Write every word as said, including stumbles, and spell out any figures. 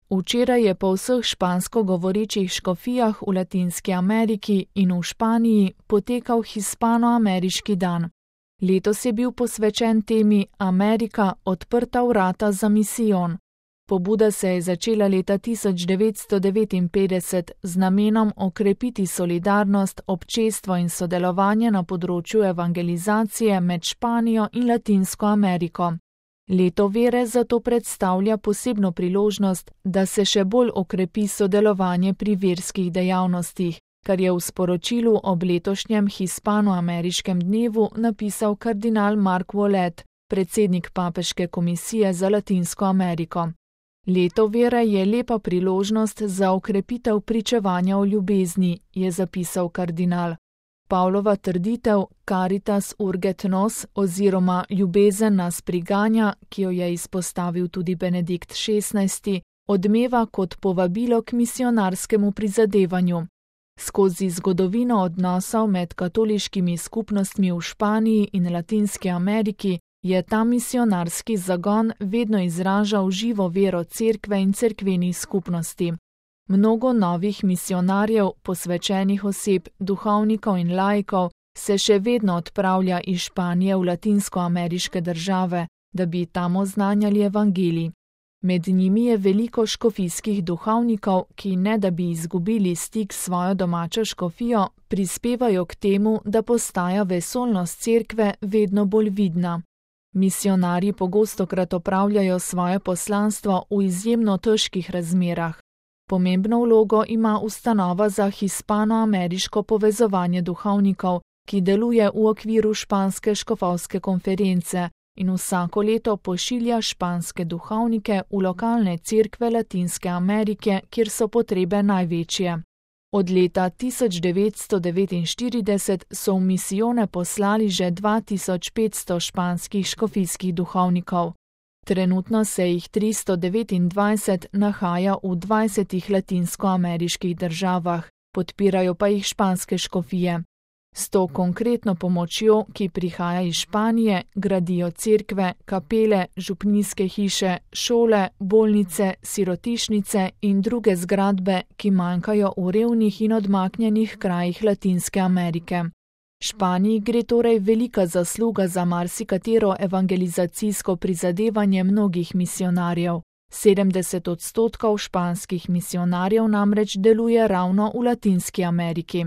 Včeraj je po vseh špansko govorečih škofijah v Latinski Ameriki in v Španiji potekal hispanoameriški dan. Letos je bil posvečen temi Amerika odprta vrata za misijon. Pobuda se je začela leta tisoč devetsto devetinpetdeset z namenom okrepiti solidarnost, občestvo in sodelovanje na področju evangelizacije med Španijo in Latinsko Ameriko. Leto vere zato predstavlja posebno priložnost, da se še bolj okrepi sodelovanje pri verskih dejavnostih, kar je v sporočilu ob letošnjem hispanoameriškem dnevu napisal kardinal Mark Ouellet, predsednik Papeške komisije za Latinsko Ameriko. Leto vere je lepa priložnost za okrepitev pričevanja o ljubezni, je zapisal kardinal. Pavlova trditev Caritas urget nos oziroma ljubezen nas priganja, ki jo je izpostavil tudi Benedikt šestnajsti, odmeva kot povabilo k misionarskemu prizadevanju. Skozi zgodovino odnosov med katoliškimi skupnostmi v Španiji in Latinski Ameriki je ta misionarski zagon vedno izražal živo vero cerkve in cerkvenih skupnosti. Mnogo novih misionarjev, posvečenih oseb, duhovnikov in laikov se še vedno odpravlja iz Španije v latinskoameriške države, da bi tam oznanjali evangelij. Med njimi je veliko škofijskih duhovnikov, ki ne da bi izgubili stik s svojo domačo škofijo, prispevajo k temu, da postaja vesoljnost cerkve vedno bolj vidna. Misionarji pogostokrat opravljajo svoje poslanstvo v izjemno težkih razmerah. Pomembno vlogo ima ustanova za hispanoameriško povezovanje duhovnikov, ki deluje v okviru španske škofovske konference in vsako leto pošilja španske duhovnike v lokalne cerkve Latinske Amerike, kjer so potrebe največje. Od leta tisoč devetsto devetinštirideset so v misijone poslali že dva tisoč petsto španskih škofijskih duhovnikov. Trenutno se jih tristo devetindvajset nahaja v dvajsetih latinskoameriških državah, podpirajo pa jih španske škofije. S to konkretno pomočjo, ki prihaja iz Španije, gradijo cerkve, kapele, župnijske hiše, šole, bolnice, sirotišnice in druge zgradbe, ki manjkajo v revnih in odmaknjenih krajih Latinske Amerike. Španiji gre torej velika zasluga za marsikatero evangelizacijsko prizadevanje mnogih misionarjev. sedemdeset odstotkov španskih misionarjev namreč deluje ravno v Latinski Ameriki.